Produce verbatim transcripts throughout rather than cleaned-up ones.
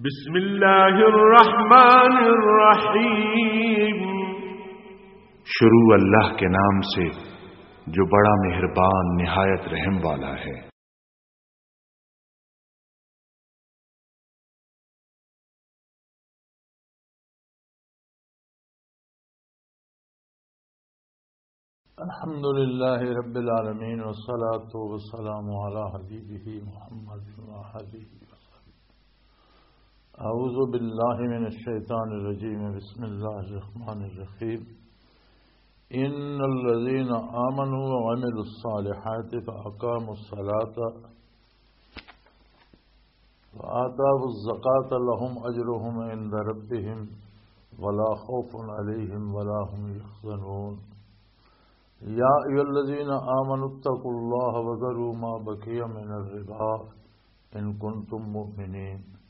بسم اللہ الرحمن الرحیم۔ شروع اللہ کے نام سے جو بڑا مہربان نہایت رحم والا ہے۔ الحمد لله رب العالمين، والصلاة والسلام على حبيبه محمد وآله وصحبه. أعوذ بالله من الشيطان الرجيم. بسم الله الرحمن الرحيم. إن الذين آمنوا وعملوا الصالحات فأقاموا الصلاة وآتوا الزكاة لهم أجرهم عند ربهم ولا خوف عليهم ولا هم يحزنون. يا أيها الذين آمنوا اتقوا الله وذروا ما بقي من الربا إن كنتم مؤمنين.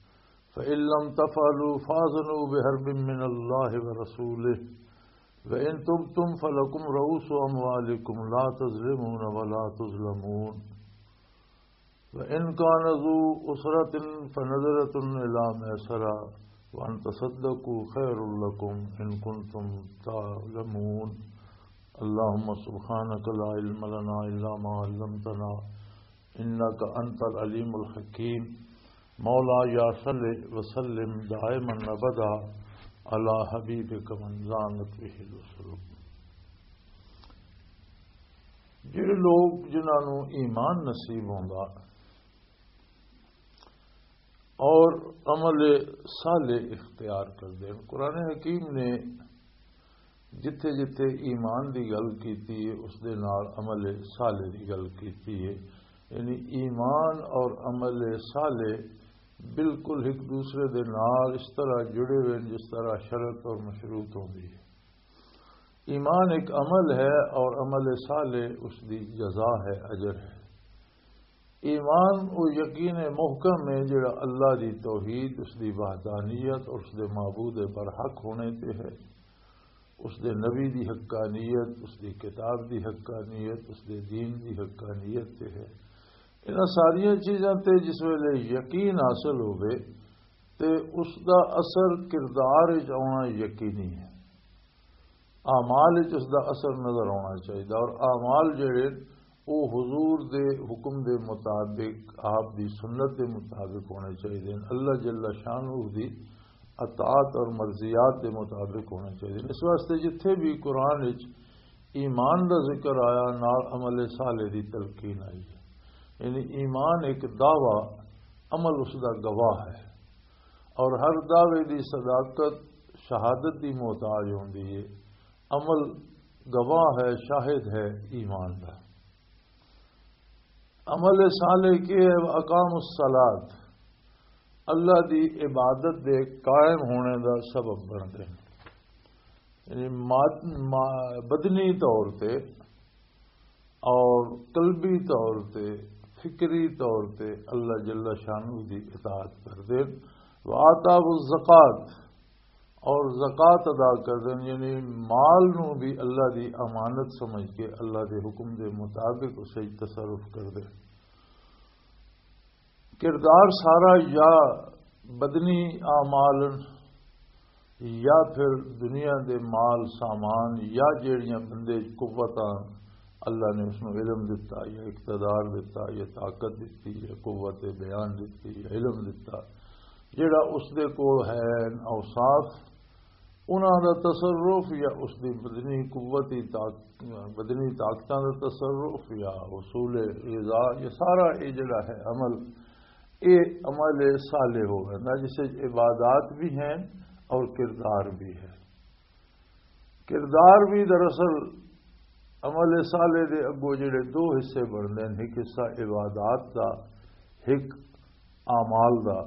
فإن لم تفعلوا فأذنوا بحرب من الله ورسوله، وإن تبتم فلكم رؤوس أموالكم لا تظلمون ولا تظلمون. وإن كان ذو عسرة فنظرة إلى ميسرة وأن تصدقوا خير لكم إن كنتم تعلمون. اللهم سبحانك لا علم لنا إلا ما علمتنا إنك أنت العليم الحكيم. مولاي صل وسلم دائما أبدا على حبيبك من زانت به الأسر. جڑے لوگ جنہاں نو ایمان نصیب ہوندا اور عمل صالح اختیار کردے ہیں، قرآن حکیم نے جتھے جتھے ایمان دی گل کیتی ہے، اس دے نال عمل صالح دی گل کیتی ہے۔ یعنی ایمان اور عمل صالح بالکل ایک دوسرے دے نال اس طرح جڑے ہوئے ہیں جس طرح شرط اور مشروط ہوندی ہے۔ ایمان ایک عمل ہے اور عمل صالح اس دی جزا ہے، اجر ہے۔ ایمان او یقین محکم ہے جڑا اللہ دی توحید، اس دی وحدانیت اور اس دے معبود برحق ہونے تے ہے، اس دے نبی دی حقانیت، اس دی کتاب دی حقانیت، اس دے دین دی حقانیت تے ہے۔ انہاں ساریاں چیزاں تے جس ویلے یقین حاصل ہوے تے اس دا اثر کردار وچ آنا یقینی ہے۔ اعمال وچ اس دا اثر نظر آنا چاہیے اور اعمال جڑے او حضور دے حکم دے مطابق، آپ دی سنت دے مطابق ہونے چاہیے، اللہ جل شانہ دی اطاعت اور مرضیات دے مطابق ہونے چاہیے۔ اس واسطے جتھے بھی قرآن وچ ایمان دا ذکر آیا، نال عمل صالح دی تلقین آئی ہے۔ یعنی ایمان ایک دعویٰ، عمل اس دا گواہ ہے۔ اور ہر دعوے دی صداقت شہادت دی محتاج ہوندی ہے۔ عمل گواہ ہے، شاہد ہے ایمان دا۔ عمل صالح کی ہے؟ اقام الصلاۃ، اللہ دی عبادت دے قائم ہونے دا سبب بندے ہیں۔ یعنی ماد-، ما-، بدنی طور تے اور قلبی طور تے، فکری طور تے اللہ جل شانہ دی اطاعت کردے۔ وآتاہ الزکات، اور زکات ادا کردے، یعنی مال نو بھی اللہ دی امانت سمجھ کے اللہ دے حکم دے مطابق اسے تصرف کردے۔ کردار سارا یا بدنی اعمال یا پھر دنیا دے مال سامان یا جیڑیاں بندے وچ قوتاں، اللہ نے اس نوں علم دتا یا اقتدار دتا یا طاقت دتی یا قوت بیان دتی یا علم دتا، جیڑا اس دے کول ہے اوصاف، انہاں دا تصرف یا اس دی بدنی قوتی طاق-، بدنی طاقتاں دا تصرف یا حصول غذا، یہ سارا یہ جڑا ہے عمل، یہ عمل صالح ہو گیا نا، جس وچ عبادات بھی ہیں اور کردار بھی ہے۔ کردار بھی دراصل عمل صالح دے اگوں جڑے دو حصے بنتے ہیں، ایک حصہ عبادات دا، ایک اعمال دا۔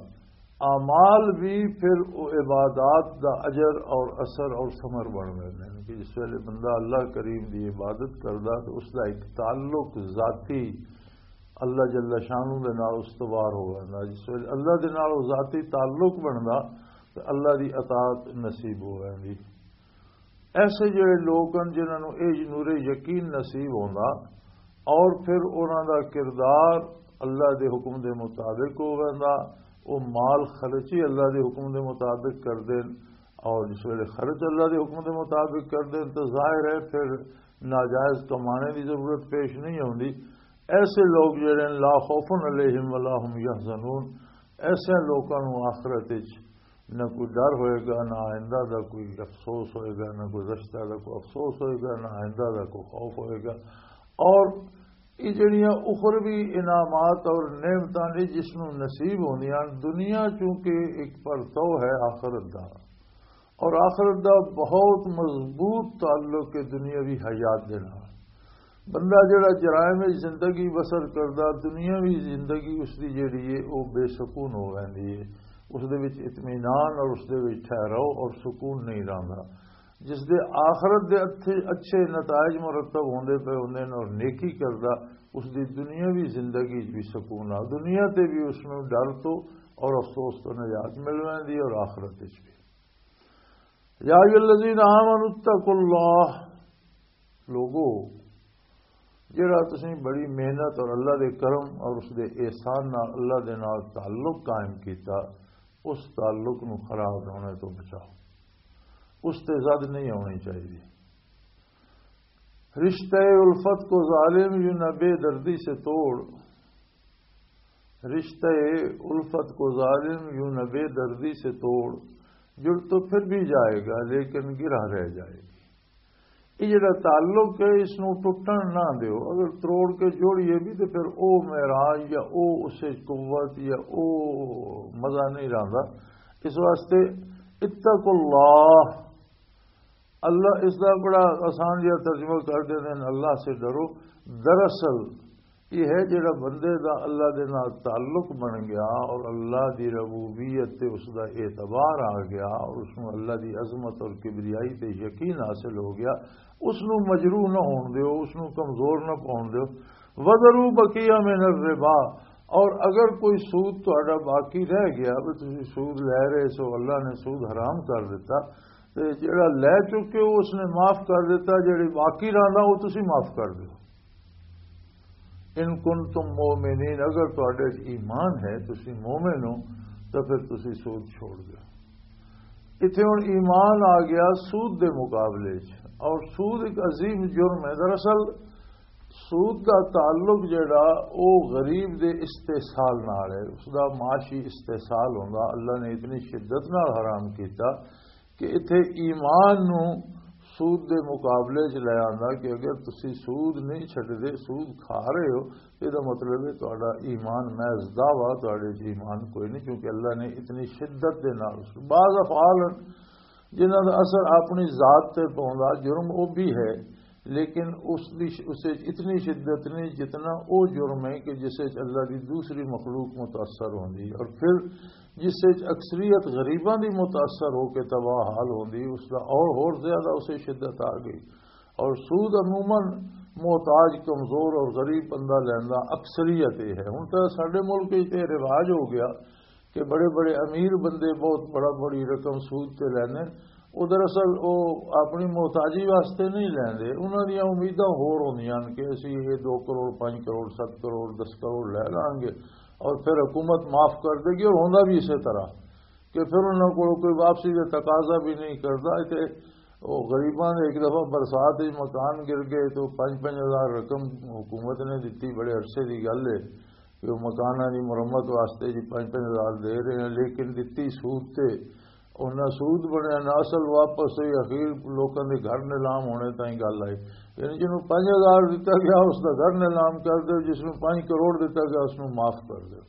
اعمال بھی پھر او عبادات دا اجر اور اثر اور ثمر بن رہے ہیں کہ جس ویلے بندہ اللہ کریم دی عبادت کردا تو اس دا ایک تعلق ذاتی اللہ جل شانہ دے نال استوار ہو ویندا۔ جس ویلے اللہ دے نال او ذاتی تعلق بندا تو اللہ دی اطاعت نصیب ہو ویندی۔ ایسے جڑے لوگ ہیں جنہاں نوں اے نور یقین نصیب ہوندا اور پھر انہاں دا کردار اللہ دے حکم دے مطابق ہو ویندا، وہ مال خرچ ہی اللہ دے حکم دے مطابق کر دین، اور جس ویلے خرچ اللہ دے حکم دے مطابق کر دین تو ظاہر ہے پھر ناجائز کمانے دی ضرورت پیش نہیں ہوندی۔ ایسے لوگ جڑے ہیں، لا خوف علیہم ولا هم يحزنون، ایسے لوگوں نوں آخرت وچ نہ کوئی ڈر ہوئے گا، نہ آئندہ دا کوئی افسوس ہوئے گا، نہ گزشتہ دا کوئی افسوس ہوئے گا، نہ آئندہ دا کوئی خوف ہوئے گا۔ اور یہ جڑیاں اخروی انعامات اور نعمتاں نے جس نوں نصیب ہوندیاں، دنیا چونکہ ایک پرتو ہے آخرت دا، اور آخرت دا بہت مضبوط تعلق ہے دنیاوی حیات دے نال۔ بندہ جڑا جرائم وچ زندگی بسر کردا، دنیاوی زندگی اس دی جڑی ہے، او بے سکون ہو ویندی ہے۔ اس دے وچ اطمینان اور اس دے وچ ٹھہراؤ اور سکون نہیں رہندا۔ جس دے آخرت دے اچھے، اچھے نتائج مرتب ہوندے پئے ہوندے نے اور نیکی کردا، اس دی دنیاوی زندگی وچ بھی سکون آ، دنیا تے بھی اس نوں ڈر تو اور افسوس تو نجات مل ویندی ہے اور آخرت وچ بھی۔ یا ایھا الذین آمنوا اتقوا اللہ، لوگو، جڑا تسیں بڑی محنت اور اللہ دے کرم اور اس دے احسان نال اللہ دے نال تعلق قائم کیتا، اس تعلق نو خراب ہونے تو بچاؤ، اس تے زد نہیں ہونی چاہیے۔ رشتہ الفت کو ظالم یوں نہ بے دردی سے توڑ، رشتہ الفت کو ظالم یوں نہ بے دردی سے توڑ، جڑ تو پھر بھی جائے گا لیکن گرہ رہ جائے گی۔ یہ جڑا تعلق ہے، اس نو ٹوٹن نہ دیو۔ اگر تروڑ کے جوڑیے بھی تو پھر او معراج یا او اسے قوت یا او مزہ نہیں رہندا۔ اس واسطے اتقوا اللہ، اللہ اس دا بڑا آسان جہا ترجمہ کر دیندے نے، اللہ سے ڈرو۔ دراصل یہ ہے جڑا بندے دا اللہ دے نال تعلق بن گیا اور اللہ دی ربوبیت تے اس دا اعتبار آ گیا اور اس نوں اللہ دی عظمت اور کبریائی تے یقین حاصل ہو گیا، اس نوں مجروح نہ ہون دیو، اس نوں کمزور نہ پاون دیو۔ وَذَرُوا بَقِيَّ مِنَ الرِّبَا، اور اگر کوئی سود تہاڈا باقی رہ گیا، بھی تسی سود لے رہے سو، اللہ نے سود حرام کر دیتا، تے جڑا لے چکے ہو اس نے معاف کر دیتا، جڑے باقی رہندا وہ تسی معاف کر دیو۔ ان کنتم مؤمنین، اگر تہاڈے وچ ایمان ہے، تسی مومن ہو، تو پھر تسی سود چھوڑ دیو۔ اتھے ہن ایمان آ گیا سود دے مقابلے وچ، اور سود ایک عظیم جرم ہے۔ دراصل سود دا تعلق جڑا او غریب دے استحصال نال ہے، اس دا معاشی استحصال ہوندا۔ اللہ نے اتنی شدت نال حرام کیتا کہ اتھے ایمان نو سود دے مقابلے چ لے آندا کہ اگر تسی سود نہیں چھڈدے، سود کھا رہے ہو، یہ دا مطلب ہے تہاڈا ایمان محض دعویٰ، تہاڈے چ ایمان کوئی نہیں، کیونکہ اللہ نے اتنی شدت دے نال اس بعض افعال ہیں جنہاں دا اثر اپنی ذات تے پوندا، جرم او بھی ہے، لیکن اس دی ش-، اسے اتنی شدت نہیں جتنا او جرم ہے کہ جس وچ اللہ دی دوسری مخلوق متاثر ہوندی ہے، اور پھر جس وچ اکثریت غریباں دی متاثر ہو کے تباہ حال ہوندی، اس دا اور ہور زیادہ اسے شدت آ گئی۔ اور سود عموماً محتاج، کمزور اور غریب بندہ لیندا، اکثریت یہ ہے۔ ہن تاں ساڈے ملک وچ تے رواج ہو گیا کہ بڑے بڑے امیر بندے بہت بڑا، بڑی رقم سود تے لیندے۔ او دراصل او اپنی محتاجی واسطے نہیں لیندے، انہاں دیاں امیداں ہور ہوندیاں ہن کہ اسی یہ دو کروڑ، پنج کروڑ، ست کروڑ، دس کروڑ لے لانگے اور پھر حکومت معاف کر دے گی، اور ہوندا بھی اسی طرح کہ پھر انہاں کول کوئی واپسی دا تقاضا بھی نہیں کردا۔ تے او غریباں دے ایک دفعہ برسات وچ مکان گر گئے تے پنج پنج ہزار رقم حکومت نے دتی، بڑے عرصے دی گل ہے کہ او مکاناں دی مرمت واسطے جی پنج پنج ہزار دے رہے ہیں، لیکن دتی سود تے، انہاں سود بنیا نہ اصل واپس ہوئی، اخیر لوکاں دے گھر نیلام ہونے تائیں گل آئی۔ یعنی جنہوں پنج ہزار دتا گیا، اس دا گھر نیلام کر دو، جس نوں پنج کروڑ دتا گیا، اس نوں معاف کر دو۔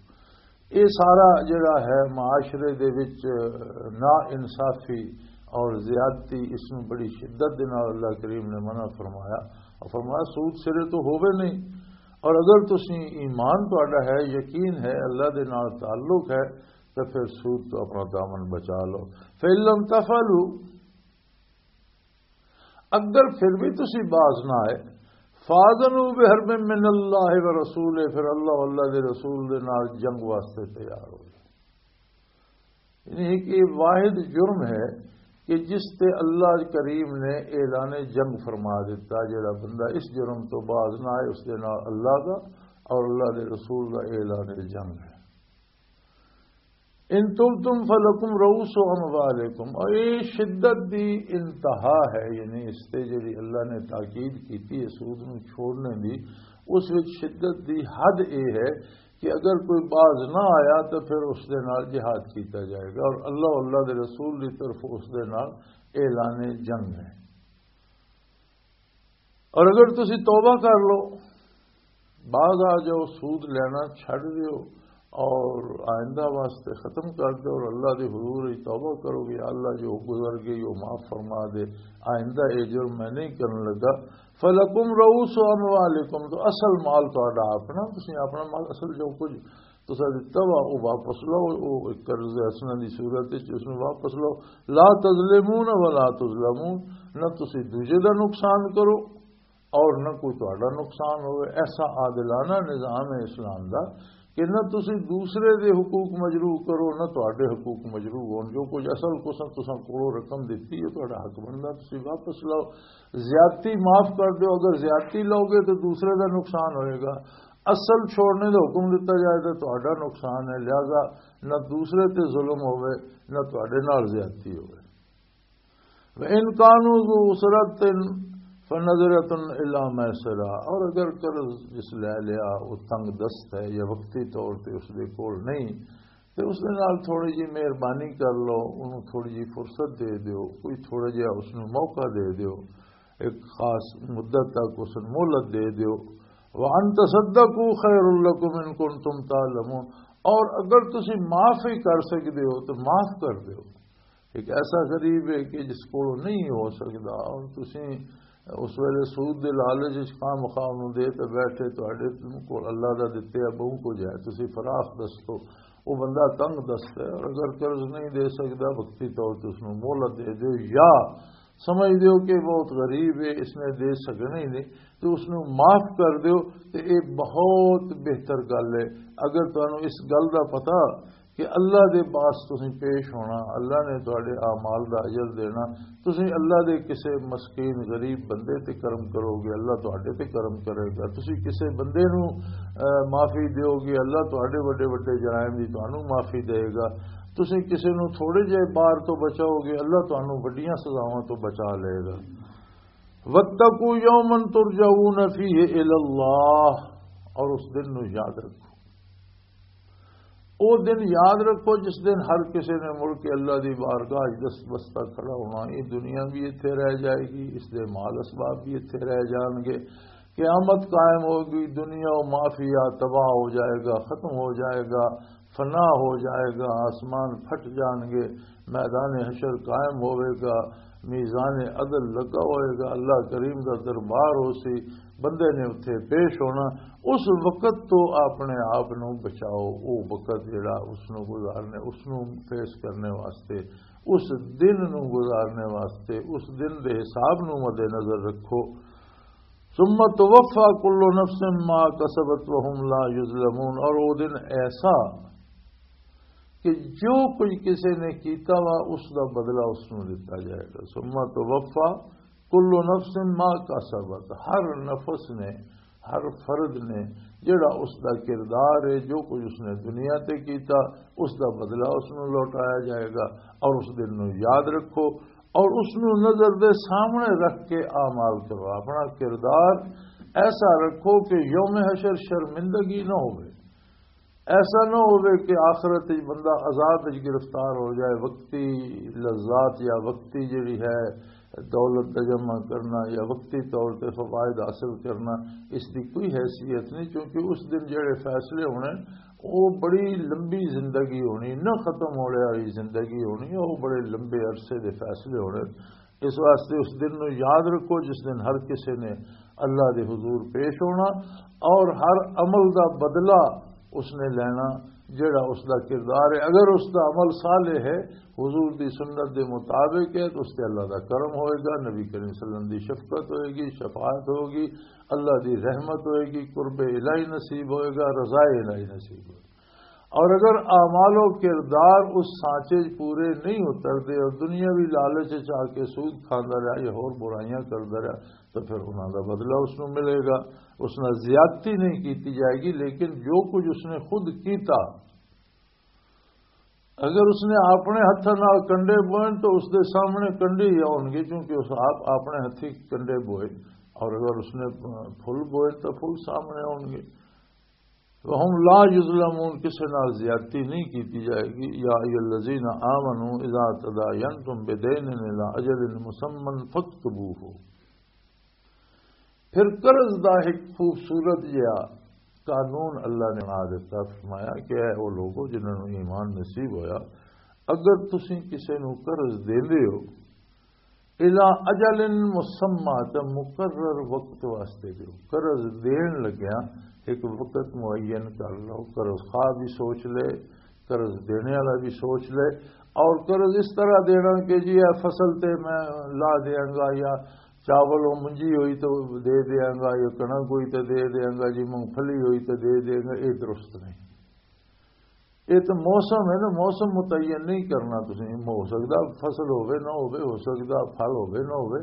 یہ سارا جڑا ہے معاشرے دے وچ نا انصافی اور زیادتی، اس نوں بڑی شدت دے نال اللہ کریم نے منع فرمایا۔ اور فرمایا سود سرے تو ہووے نہیں، اور اگر تسی ایمان تہاڈا ہے، یقین ہے، اللہ دے نال تعلق ہے، تو پھر سود تو اپنا دامن بچا لو۔ فَإِن لَّمْ تَفْعَلُوا، اگر پھر بھی تسی باز نہ آئے، فَأَذَنُوا بِحَرْبٍ مِّنَ اللَّهِ وَرَسُولِهِ، پھر اللہ، اللہ دے رسول دے نال جنگ واسطے تیار ہو جائے۔ یعنی ایک یہ واحد جرم ہے کہ جس تے اللہ کریم نے اعلان جنگ فرما دیتا، جڑا بندہ اس جرم تو باز نہ آئے، اس دے نال اللہ دا اور اللہ دے رسول دا اعلان جنگ ہے۔ ان تبتم فلکم رؤوس اموالکم، اور یہ شدت دی انتہا ہے، یعنی اس تے جڑی اللہ نے تاکید کیتی ہے سود نو چھوڑنے دی، اس وچ شدت دی حد اے ہے کہ اگر کوئی باز نہ آیا تو پھر اس دے نال جہاد کیتا جائے گا، اور اللہ، اللہ دے رسول دی طرف اس دے نال اعلان جنگ ہے۔ اور اگر تسی توبہ کر لو، باز آ جاؤ، سود لینا چھڈ دیو اور آئندہ واسطے ختم کر دو اور اللہ دے حضور وچ توبہ کرو کہ اللہ جو گزر گئی وہ معاف فرما دے، آئندہ یہ جرم میں نہیں کرن لگا۔ فلکم رؤوس اموالکم، تو اصل مال تہاڈا اپنا، تسی اپنا مال، اصل جو کچھ تسا دتا وا، او واپس لو، او ایک قرض حسنہ دی صورت وچ اس نوں واپس لو۔ لا تظلمون ولا تظلمون، نہ تسی دوجے دا نقصان کرو اور نہ کوئی تہاڈا نقصان ہوئے۔ ایسا عادلانہ نظام ہے اسلام دا کہ نہ تسی دوسرے دے حقوق مجروح کرو، نہ تہاڈے حقوق مجروح ہون۔ جو کچھ اصل قسم تساں کولوں رقم دتی ہے، تہاڈا حق بندا، تسی واپس لو۔ زیادتی معاف کر دیو، اگر زیادتی لو گے تو دوسرے دا نقصان ہوئے گا۔ اصل چھوڑنے دا حکم دتا جائے تو تہاڈا نقصان ہے، لہذا نہ دوسرے تے ظلم ہوئے، نہ تہاڈے نال زیادتی ہوئے۔ وَإِن كَانُوا ذُو عُسْرَةٍ فَنَظِرَةٌ إِلَى مَيْسَرَةٍ، اور اگر قرض جس لے لیا وہ تنگ دست ہے یا وقتی طور تے اس دے کول نہیں، تے اس دے نال تھوڑی جی مہربانی کر لو، انہوں تھوڑی جی فرصت دے دیو، کوئی تھوڑا جہا اس نوں موقع دے دیو، ایک خاص مدت تک اس نوں مہلت دے دیو۔ وَأَن تَصَدَّقُوا خَيْرٌ لَّكُمْ إِن كُنتُمْ تَعْلَمُونَ، اور اگر تسی معاف ہی کر سکدے ہو تو معاف کر دیو۔ ایک ایسا غریب ہے کہ جس کول نہیں ہو سکدا، اور تسی اس ویلے سود دے لالچ وچ خام خواہ نوں دے تے بیٹھے، تہاڈے کول اللہ دا دتے آ بہوں کچھ ہے، تسی فراخ دست ہو، وہ بندہ تنگ دست ہے، اور اگر قرض نہیں دے سکدا، وقتی طور تے اس نوں مہلت دے دیو، یا سمجھ دیو کہ بہت غریب ہے، اس نے دے سکنا ہی نہیں، تو اس نوں معاف کر دیو، تے یہ بہت بہتر گل ہے۔ اگر تانوں اس گل دا پتہ کہ اللہ دے پاس تسی پیش ہونا، اللہ نے تہاڈے اعمال دا اجر دینا، تسی اللہ دے کسے مسکین غریب بندے تے کرم کرو گے، اللہ تہاڈے تے کرم کرے گا۔ تسی کسے بندے نوں، اے، معافی دیو گے، اللہ تہاڈے وڈے وڈے جرائم دی تانوں معافی دے گا۔ تسی کسے نوں تھوڑے جے بار تو بچاؤ گے، اللہ تانوں وڈیاں سزاواں تو بچا لے گا۔ وَاتَّقُوا يَوْمًا تُرْجَعُونَ فِيهِ إِلَى اللَّهِ، اور اس دن نو یاد رکھو۔ او دن یاد رکھو جس دن ہر کسی نے مڑ کے اللہ دی بارگاہ وچ دست بستہ کھڑا ہونا۔ یہ دنیا بھی اتھے رہ جائے گی، اس دے مال اسباب بھی اتھے رہ جان گے۔ قیامت قائم ہوگی، دنیا و مافیا تباہ ہو جائے گا، ختم ہو جائے گا، فنا ہو جائے گا، آسمان پھٹ جان گے، میدان حشر قائم ہوئے گا، میزان عدل لگا ہوئے گا، اللہ کریم دا دربار ہو سی، بندے نے اتھے پیش ہونا۔ اس وقت تو اپنے آپ نو بچاؤ، وہ وقت جڑا اس نو گزارنے، اس نو فیس کرنے واسطے، اس دن نو گزارنے واسطے، اس دن دے حساب نو مد نظر رکھو۔ ثم توفى كل نفس ما كسبت وهم لا يظلمون، اور وہ دن ایسا کہ جو کچھ کسی نے کیتا وا، اس دا بدلہ اس نو دتا جائے گا۔ ثم توفى كل نفس ما كسبت، ہر نفس نے، ہر فرد نے جڑا اس دا کردار ہے، جو کچھ اس نے دنیا تے کیتا، اس دا بدلہ اس نو لوٹایا جائے گا۔ اور اس دن نو یاد رکھو، اور اس نو نظر دے سامنے رکھ کے اعمال کرو۔ اپنا کردار ایسا رکھو کہ یوم حشر شرمندگی نہ ہوئے، ایسا نہ ہوئے کہ آخرت وچ بندہ عذاب وچ گرفتار ہو جائے۔ وقتی لذات یا وقتی جڑی ہے دولت دا جمع کرنا یا وقتی طور تے فوائد حاصل کرنا، اس دی کوئی حیثیت نہیں، کیونکہ اس دن جڑے فیصلے ہونے، وہ بڑی لمبی زندگی ہونی، نہ ختم ہونے والی زندگی ہونی، وہ بڑے لمبے عرصے دے فیصلے ہونے۔ اس واسطے اس دن نو یاد رکھو جس دن ہر کسی نے اللہ دے حضور پیش ہونا اور ہر عمل دا بدلہ اس نے لینا جڑا اس دا کردار ہے۔ اگر اس دا عمل صالح ہے، حضور دی سنت دے مطابق ہے، تو اس تے اللہ دا کرم ہوئے گا، نبی کریم صلی اللہ علیہ وسلم دی شفقت ہوئے گی، شفاعت ہوگی، اللہ دی رحمت ہوئے گی، قرب الہی نصیب ہوئے گا، رضا الہی نصیب ہوئے گا۔ اور اگر اعمال و کردار اس سانچے چ پورے نہیں اتردے اور دنیاوی لالچ چ آ کے سود کھاندا رہا یا ہور برائیاں کردا رہا، تو پھر انہاں دا بدلہ اس نوں ملے گا۔ اس نال زیادتی نہیں کیتی جائے گی، لیکن جو کچھ اس نے خود کیتا، اگر اس نے اپنے ہتھاں نال کنڈے بوئے تو اس دے سامنے کنڈے ہی آؤنگے، کیونکہ اس آپ اپنے ہتھی کنڈے بوئے، اور اگر اس نے پھول بوئے تو پھول سامنے آؤنگے۔ وَهُمْ لَا يُظْلَمُونَ، کسے نال زیادتی نہیں کیتی جائے گی۔ يَا أَيُّهَا الَّذِينَ آمَنُوا إِذَا تَدَايَنْتُمْ بِدَيْنٍ إِلَىٰ أَجَلٍ مُّسَمًّى فَاكْتُبُوهُ۔ پھر قرض دا ایک خوبصورت جہا قانون اللہ نے بنا دیتا، فرمایا کہ اے او لوگو جنہاں نوں ایمان نصیب ہویا، اگر تسی کسے نوں قرض دیندے ہو، الا اجل مسمی، تے مقرر وقت واسطے دیو۔ قرض دین لگیا ایک وقت معین کر لو، قرض خواہ بھی سوچ لے، قرض دینے والا بھی سوچ لے، اور قرض اس طرح دینا کہ جی اے فصل تے میں لا دیاں گا، یا چاول او منجی ہوئی تو دے دیاں گا، یا کنک ہوئی تو دے دیاں گا، جی مونگ پھلی ہوئی تو دے دیاں گا، یہ درست نہیں۔ یہ تو موسم ہے نا، موسم متعین نہیں کرنا۔ تسی، ہو سکدا فصل ہوے نہ ہوے، ہو سکدا پھل ہوے نہ ہوے۔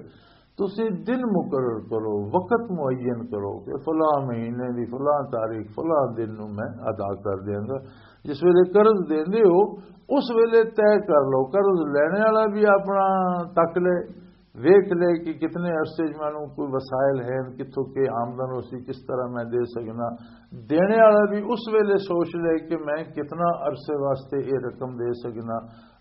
تسی دن مقرر کرو، وقت معین کرو کہ فلاں مہینے دی فلاں تاریخ، فلاں دن نوں میں ادا کر دیاں گا۔ جس ویلے قرض دیندے ہو، اس ویلے طے کر لو۔ قرض لینے والا بھی اپنا تک لے، ویکھ لے کہ کتنے عرصے 'چ مینوں کوئی وسائل ہیں، کتھوں کے آمدن ہو سی، کس طرح میں دے سکنا۔ دینے والا بھی اس ویلے سوچ لے کہ میں کتنا عرصے واسطے یہ رقم دے سکنا،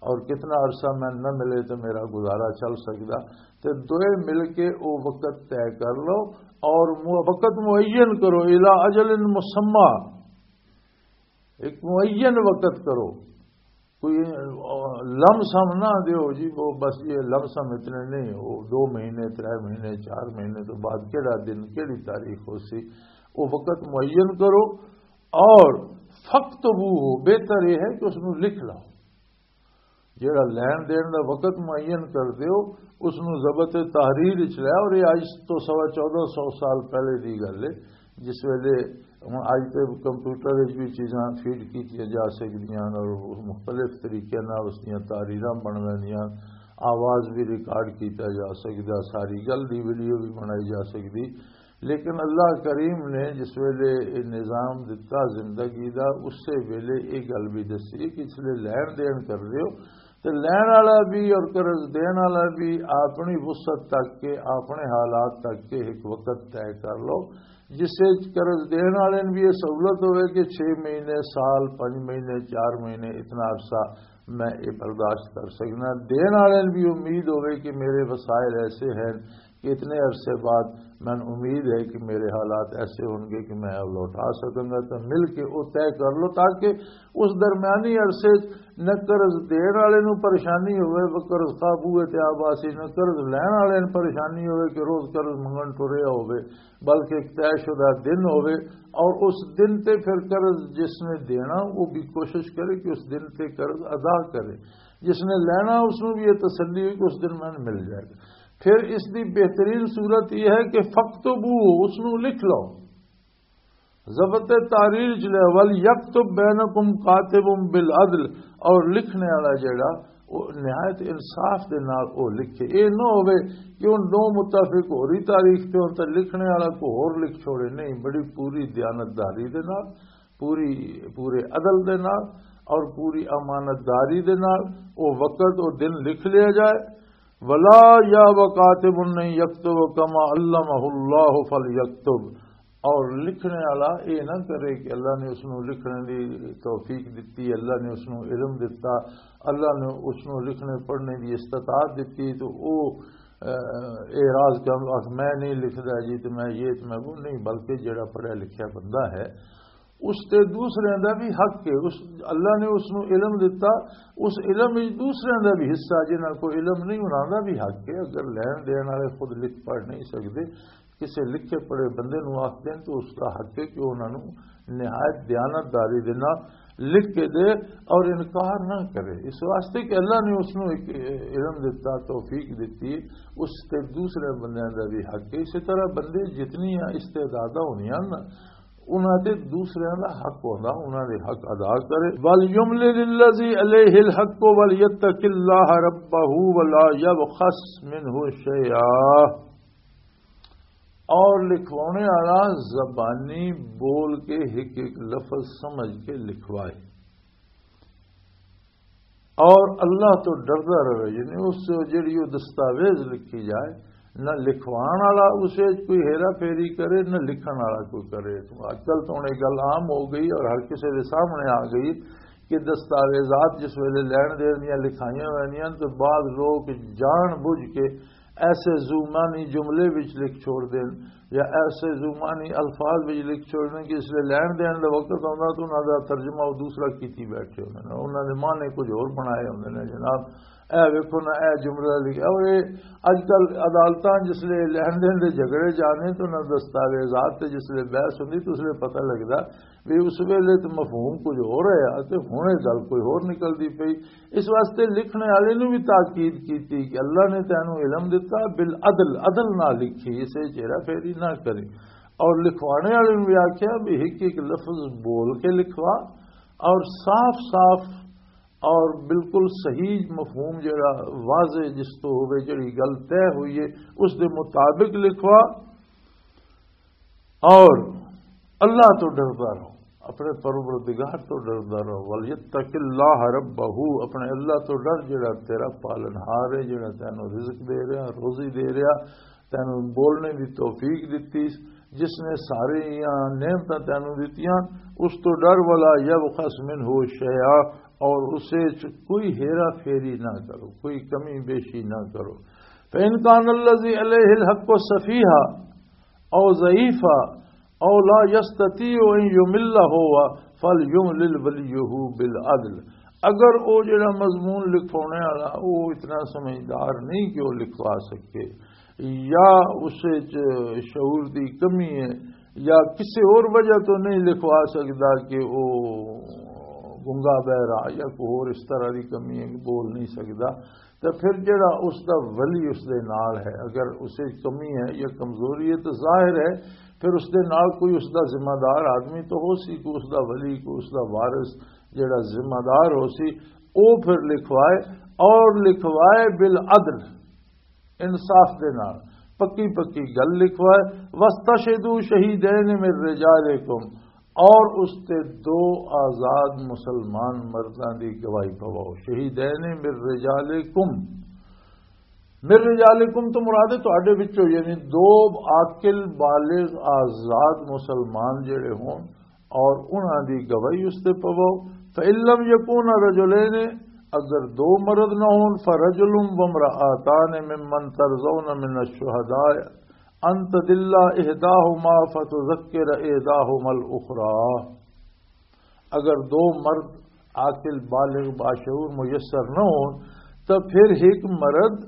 اور کتنا عرصہ میں نہ ملے تو میرا گزارا چل سکدا۔ تے دوئے مل کے او وقت طے کر لو، اور مو-، وقت معین کرو، الا اجل مسمی، ایک معین وقت کرو۔ کوئی لم سم نہ دیو جی، وہ بس یہ لم سم اتنے نہیں، وہ دو مہینے، ترے مہینے، چار مہینے تو بعد کیڑا دن، کیڑی تاریخ ہو سی، وہ وقت معین کرو۔ اور فَاكْتُبُوهُ، بہتر یہ ہے کہ اس نو لکھ لو۔ جیڑا لین دین دا وقت معین کر دیو، اس نو ضبط تحریر وچ لے۔ اور یہ اج تو سوا چودہ سو سال پہلے دی گل ہے، جس ویلے ہن اج تے کمپیوٹر وچ بھی چیزاں فیڈ کیتیاں جا سکدیاں ہن اور مختلف طریقے نال اس دیاں تحریراں بن ویندیاں، آواز بھی ریکارڈ کیتا جا سکدا، ساری گل دی ویڈیو بھی بنائی جا سکدی۔ لیکن اللہ کریم نے جس ویلے یہ نظام دتا زندگی دا، اسی ویلے یہ گل بھی دسی کہ اس لیے لین دین کر رہے ہو، تے لین والا بھی اور قرض دین والا بھی اپنی وسعت تک کے، اپنے حالات تک کے ایک وقت طے کر لو، جس وچ قرض دین والے نوں بھی یہ سہولت ہوئے کہ چھ مہینے، سال، پنج مہینے، چار مہینے، اتنا عرصہ میں یہ برداشت کر سکنا۔ دین والے نوں بھی امید ہوئے کہ میرے وسائل ایسے ہیں کہ اتنے عرصے بعد میں امید ہے کہ میرے حالات ایسے ہوں گے کہ میں اب لوٹا سکوں گا۔ تو مل کے وہ طے کر لو، تاکہ اس درمیانی عرصے نہ قرض دین والے نوں پریشانی ہوئے، وہ قرض قابو تے آ باسی، نہ قرض لین والے نوں پریشانی ہوئے کہ روز قرض منگن ٹریا ہوئے، بلکہ ایک طے شدہ دن ہوئے۔ اور اس دن تے پھر قرض جس نے دینا، وہ بھی کوشش کرے کہ اس دن تے قرض ادا کرے۔ جس نے لینا، اس نوں بھی یہ تسلی ہوئی کہ اس دن میں مل جائے گا۔ پھر اس دی بہترین صورت یہ ہے کہ فَاكْتُبُوهُ، اس نوں لکھ لو۔ ضبط تحریر چ لے، وَلْيَكْتُب بَيْنَكُمْ كَاتِبٌ بِالْعَدْلِ، اور لکھنے والا جڑا، وہ نہایت انصاف دے نال وہ لکھے۔ یہ نہ ہوئے کہ ان دو متفق ہو رہی تاریخ تے ہون تے لکھنے والا کو ہور لکھ چھوڑے۔ نہیں، بڑی پوری دیانتداری دے نال، پوری، پورے عدل دے نال اور پوری امانت داری دے نال وہ وقت، وہ دن لکھ لیا جائے۔ وَلَا يَأْبَ كَاتِبٌ أَن يَكْتُبَ كَمَا عَلَّمَهُ اللَّهُ فَلْيَكْتُب، اور لکھنے والا یہ نہ کرے کہ اللہ نے اس نوں لکھنے دی توفیق دتی، اللہ نے اس نوں علم دتا، اللہ نے اس نوں لکھنے پڑھنے دی استطاعت دتی، تو وہ، اے، اعراض کر، "میں نہیں لکھدا جی، تے میں یہ، تے میں وہ نہیں"، بلکہ جڑا پڑھیا لکھیا بندہ ہے، اس تے دوسرے دا بھی حق ہے۔ اس، اللہ نے اس نوں علم دتا، اس علم وچ دوسرے دا بھی حصہ، جنہاں کو علم نہیں، انہاں دا بھی حق ہے۔ اگر لین دین والے خود لکھ پڑھ نہیں سکدے، کسے لکھے پڑھے بندے نوں آکھ دین تو اس دا حق ہے کہ انہاں نوں نہایت دیانتداری دے نال لکھ کے دے اور انکار نہ کرے، اس واسطے کہ اللہ نے اس نوں ایک علم دتا، توفیق دتی، اس تے دوسرے بندیاں دا بھی حق ہے۔ اسی طرح بندے جتنی استعداداں ہونیاں نا، انہاں تے دوسریاں دا حق ہوندا، انہاں دے حق ادا کرے۔ وَلْيُمْلِلِ الَّذِي عَلَيْهِ الْحَقُّ وَلْيَتَّقِ اللَّهَ رَبَّهُ وَلَا يَبْخَسْ مِنْهُ شَيْئًا، اور لکھوانے والا زبانی بول کے ایک ایک لفظ سمجھ کے لکھوائے۔ اور اللہ تو ڈردا رہے، یعنی اس جڑی وہ دستاویز لکھی جائے، نہ لکھوان والا اس وچ کوئی ہیرا پھیری کرے، نہ لکھن والا کوئی کرے۔ اج کل تو ہن یہ گل عام ہو گئی اور ہر کسی دے سامنے آ گئی کہ دستاویزات جس ویلے لین دین دیاں لکھائیاں ویندیاں تو بعض لوگ جان بوجھ کے ایسے زمانی جملے وچ لکھ چھوڑ دین یا ایسے زمانی الفاظ وچ لکھ چھوڑ دین کہ اس لیے لین دین دا وقت آندا تو انہاں دا ترجمہ وہ دوسرا کیتی بیٹھے ہوندے نے، انہاں دے معنی کچھ ہور بنائے ہوندے نے جناب۔ اے ویکھو نا، اے جملہ لکھیا۔ اور اے اج کل عدالتاں جس لیے لین دین دے جھگڑے جانے تو نہ دستاویزات تے جس لیے بحث ہوندی تو اس لیے پتہ لگدا بھی اس ویلے تے مفہوم کچھ ہو رہا ہے تے ہن یہ گل کوئی ہور نکلدی پئی۔ اس واسطے لکھنے والے نوں بھی تاکید کیتی کہ اللہ نے تینوں علم دتا، بالعدل، عدل نہ لکھی، اسے چہرہ پھیری نہ کرے۔ اور لکھوانے والے نوں بھی آکھیا بھی ایک ایک لفظ بول کے لکھوا اور صاف صاف اور بالکل صحیح مفہوم جڑا واضح جس تو ہوئے، جڑی گل طے ہوئی ہے، اس دے مطابق لکھوا۔ اور اللہ تو ڈردا رہو، اپنے پروردگار تو ڈردا رہو۔ وَلْيَتَّقِ اللَّهَ رَبَّهُ، اپنے اللہ تو ڈر، جڑا تیرا پالنہار ہے، جڑا تینوں رزق دے رہا، روزی دے رہا، تینوں بولنے دی توفیق دتی، جس نے ساری نعمتاں تینوں دتیاں، اس تو ڈر۔ وَلَا يَبْخَسْ مِنْهُ شَيْئًا، اور اسے چ کوئی ہیرا پھیری نہ کرو، کوئی کمی بیشی نہ کرو۔ فَإِنْ كَانَ الَّذِي عَلَيْهِ الْحَقُّ سَفِيهًا أَوْ ضَعِيفًا أَوْ لَا يَسْتَطِيعُ أَنْ يُمِلَّ هُوَ فَلْيُمْلِلْ وَلِيُّهُ بِالْعَدْلِ۔ اگر وہ جڑا مضمون لکھوانے والا وہ اتنا سمجھدار نہیں کہ وہ لکھوا سکے، یا اس وچ شعور دی کمی ہے، یا کسی اور وجہ تو نہیں لکھوا سکدا کہ وہ گنگا بہرا یا کوئی اور اس طرح دی کمی ہے کہ بول نہیں سکدا، تو پھر جڑا اس دا ولی اس دے نال ہے، اگر اسے کمی ہے یا کمزوری ہے تو ظاہر ہے پھر اس دے نال کوئی اس دا ذمہ دار آدمی تو ہو سی، کوئی اس دا ولی، کوئی اس دا وارث جڑا ذمہ دار ہو سی، او پھر لکھوائے، اور لکھوائے بالعدل، انصاف دے نال، پکی پکی گل لکھوائے۔ وَاسْتَشْهِدُوا شَهِيدَيْنِ مِنْ رِجَالِكُمْ، اور اس تے دو آزاد مسلمان مرداں دی گواہی پواؤ۔ شہیدین من رجالکم، من رجالکم تو مراد ہے تہاڈے وچوں، یعنی دو عاقل بالغ آزاد مسلمان جڑے ہون اور انہاں دی گواہی اس تے پواؤ۔ فَإِن لَّمْ يَكُونَا رَجُلَيْنِ، اگر دو مرد نہ ہون، فَرَجُلٌ وَامْرَأَتَانِ مِمَّنْ تَرْضَوْنَ مِنَ الشُّهَدَاءِ أَن تَضِلَّ إِحْدَاهُمَا فَتُذَكِّرَ إِحْدَاهُمَا الْأُخْرَىٰ۔ اگر دو مرد عاقل، بالغ، باشعور، میسر نہ ہون، تو پھر ایک مرد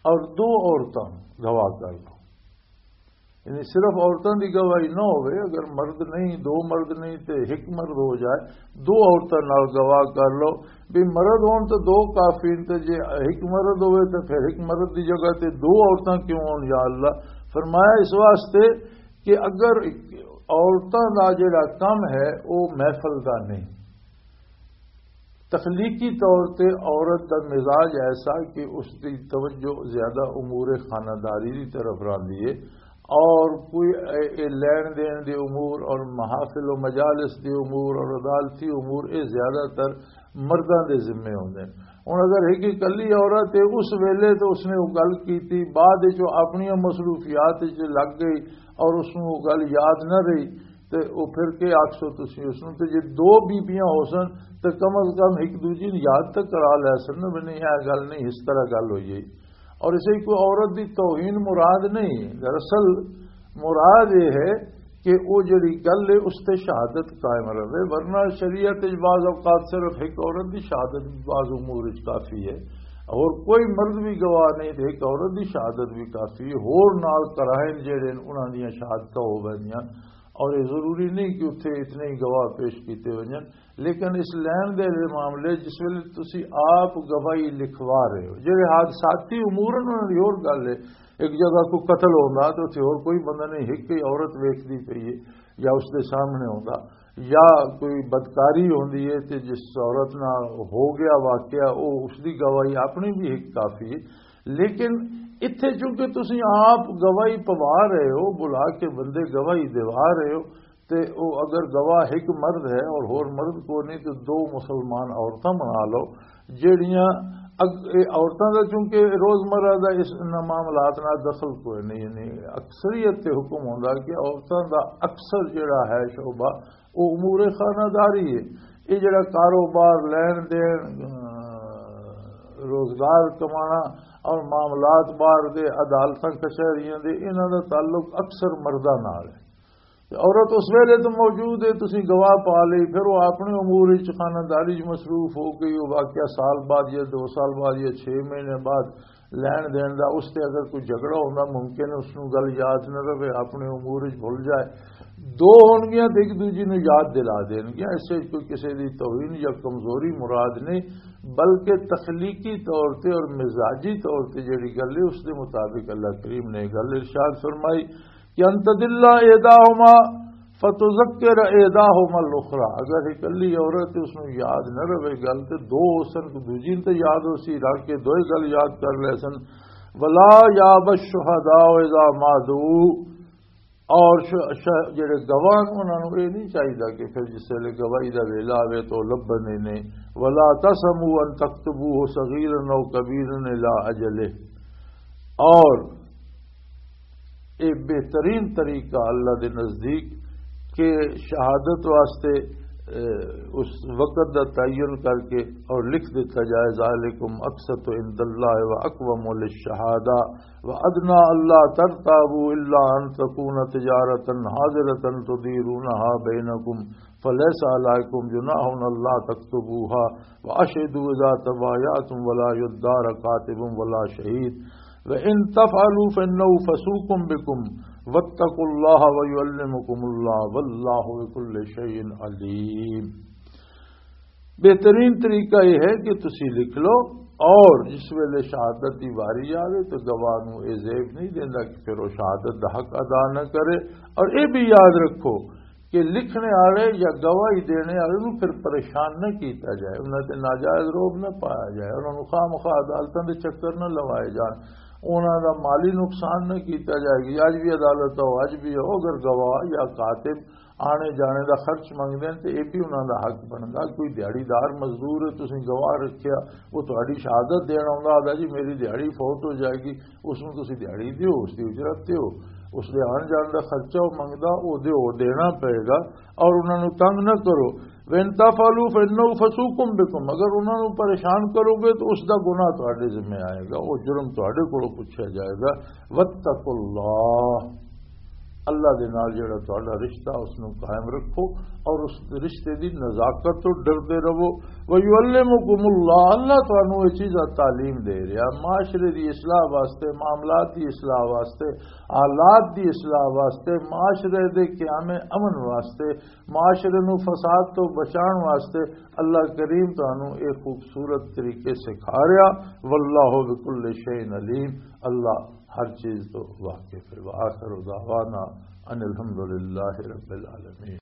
اور دو عورتاں گواہ کر لو۔ یعنی صرف عورتاں دی گواہی نہ ہوئے، اگر مرد نہیں، دو مرد نہیں تے ایک مرد ہو جائے، دو عورتاں نال گواہ کر لو۔ بھی مرد ہون تو دو کافی نے، تے جے ایک مرد ہوئے تو پھر ایک مرد دی جگہ تے دو عورتاں کیوں ہون یا اللہ؟ فرمایا اس واسطے کہ اگر عورتاں دا جڑا کم ہے وہ محفل دا نہیں، تخلیقی طور تے عورت دا مزاج ایسا کہ اس دی توجہ زیادہ امور خانہ داری دی طرف راندی ہے، اور کوئی اے، اے لین دین دے امور اور محافل و مجالس دے امور اور عدالتی امور اے زیادہ تر مرداں دے ذمے ہوندے نے۔ ہن اگر ایک اکلی عورت ہے، اس ویلے تو اس نے وہ گل کیتی، بعد وچ وہ اپنی مصروفیات وچ لگ گئی اور اس نوں وہ گل یاد نہ رہی، تے وہ پھر کے آکھسو تسی اس نوں؟ تے جے دو بیبیاں ہو سن تے کم از کم ایک دوجی نوں یاد تک کرا لے سن نا، بھی نہیں، یہ گل نہیں، اس طرح گل ہوئی ہے۔ اور اسے کوئی عورت دی توہین مراد نہیں، دراصل مراد یہ ہے کہ وہ جڑی گل ہے اس تے شہادت قائم رہے، ورنہ شریعت وچ بعض اوقات صرف ایک عورت دی شہادت بھی بعض امور وچ کافی ہے، اور کوئی مرد بھی گواہ نہیں تے ایک عورت دی شہادت بھی کافی ہے۔ ہور نال قرائن جڑے نے انہاں دیاں شہادتاں ہو ویندیاں، اور یہ ضروری نہیں کہ اتھے اتنے ہی گواہ پیش کیتے ونجن، لیکن اس لین دین دے معاملے جس ویلے تسی آپ گواہی لکھوا رہے ہو، جڑے حادثاتی امور ہیں انہاں دی ہور گل ہے، ایک جگہ کوئی قتل ہوندا تو اتھے ہور کوئی بندہ نہیں، ایک ہی عورت ویکھدی پئی ہے یا اس دے سامنے ہوندا، یا کوئی بدکاری ہوندی ہے تے جس عورت نال ہو گیا واقعہ، او اس دی گواہی اپنی بھی ایک کافی ہے۔ لیکن اتھے چونکہ تسی آپ گواہی پوا رہے ہو، بلا کے بندے گواہی دیوا رہے ہو، تے او اگر گواہ ایک مرد ہے اور ہور مرد کو نہیں، تو دو مسلمان عورتاں بنا لو، جیڑیاں اگ-، اے عورتاں دا، چونکہ روزمرہ دا اس، انہاں معاملات نال دخل کوئی نہیں، یعنی اکثریت تے حکم ہوندا کہ عورتاں دا اکثر جیڑا ہے شعبہ، او امور خانہ داری ہے۔ یہ جڑا کاروبار، لین دین، اہ، روزگار کمانا اور معاملات باہر دے، عدالتاں کچہریاں دے، انہاں دا تعلق اکثر مرداں نال ہے۔ تے عورت اس ویلے تو موجود ہے، تسی گواہ پا لئی، پھر وہ اپنے امور وچ، خانہ داری وچ مصروف ہو گئی، وہ واقعہ سال بعد یا دو سال بعد یا چھ مہینے بعد لین دین دا، اس تے اگر کوئی جھگڑا ہوندا، ممکن ہے اس نوں گل یاد نہ رہے، اپنے امور وچ بھول جائے۔ دو ہونگیاں تے ایک دوجی نوں یاد دلا دینگیاں۔ اس وچ کوئی کسے دی توہین یا کمزوری مراد نہیں، بلکہ تخلیقی طور تے اور مزاجی طور تے جڑی گل ہے، اس دے مطابق اللہ کریم نے گل ارشاد فرمائی کہ ان تضل احداہما فتذکر احداہما الاخری۔ اگر اکلی عورت اس نوں یاد نہ رہے گل، تے دو اس نوں دوجی تے یاد ہو سی، رکھ کے دوئے گل یاد کر لے سن۔ ولا یاب الشہداء اذا ما دعوا، اور ش-، ش-، جڑے گواہ نے، انہاں نوں یہ نہیں چاہیدا کہ پھر جس ویلے گواہی دا ویلا آوے تو لبھن ہی نہیں۔ ولا تسموا ان تكتبوه صغيرا او كبيرا الى اجله۔ اور یہ بہترین طریقہ اللہ دے نزدیک کہ شہادت واسطے، اے، اس وقت دا تعین کر کے اور لکھ دیتا جائے، ذالکم اقسط عند اللہ و اقوم للشہادہ و ادنی الا ترتابوا الا ان تکون تجارتا حاضرتا تدیرونها بینکم فلیس علیکم جناح الا تکتبوها واشهدوا اذا تبایعتم ولا یدار کاتب ولا شهید وان تفعلوا فانه فسوق بكم واتقوا الله ويعلمكم الله والله بكل شيء عليم۔ بہترین طریقہ یہ ہے کہ تسی لکھ لو، اور جس ویلے شہادت دی واری آوے تو گواہ نو یہ زیب نہیں دیندا کہ پھر وہ شہادت دا حق ادا نہ کرے۔ اور یہ بھی یاد رکھو کہ لکھنے والے یا گواہی دینے والے نو پھر پریشان نہ کیتا جائے، انہاں تے ناجائز روب نہ پایا جائے، انہاں نو خواہ مخواہ عدالتاں دے چکر نہ لوائے جان، انہاں دا مالی نقصان نہ کیتا جائے۔ کہ اج بھی عدالت ہو، اج بھی ہو، اگر گواہ یا کاتب آنے جانے دا خرچ منگدے ہیں تے یہ بھی انہاں دا حق بندا۔ کوئی دیہڑی دار مزدور ہے، تسی گواہ رکھیا، وہ تہاڈی شہادت دین آوندا، آہدا جی میری دیہڑی فوت ہو جائے گی، اس نوں تسی دیہڑی دیو، اس دی اجرت دیو، اس دے آن جان دا خرچہ وہ منگدا، وہ دیو، دینا پئے گا۔ اور انہاں نوں تنگ نہ کرو۔ وَإِن تَفْعَلُوا فَإِنَّهُ فَسُوقٌ بِكُمْ، اگر انہاں نوں پریشان کرو گے تو اس دا گناہ تہاڈے ذمہ آئے گا، وہ جرم تہاڈے کولوں پوچھا جائے گا۔ وَاتَّقُوا اللَّهَ، اللہ دے نال جڑا تہاڈا رشتہ، اس نوں قائم رکھو اور اس رشتے دی نزاکت تو ڈردے رہو۔ وَيُعَلِّمُكُمُ اللَّهُ، اللہ تانوں یہ چیزاں تعلیم دے رہا، معاشرے دی اصلاح واسطے، معاملات دی اصلاح واسطے، حالات دی اصلاح واسطے، معاشرے دے قیام امن واسطے، معاشرے نوں فساد تو بچان واسطے اللہ کریم تانوں ایک خوبصورت طریقے سکھا رہا۔ واللہ بکل شیء علیم، اللہ ہر چیز تو واقف ہے۔ وآخر دعوانا ان الحمد للہ رب العالمین۔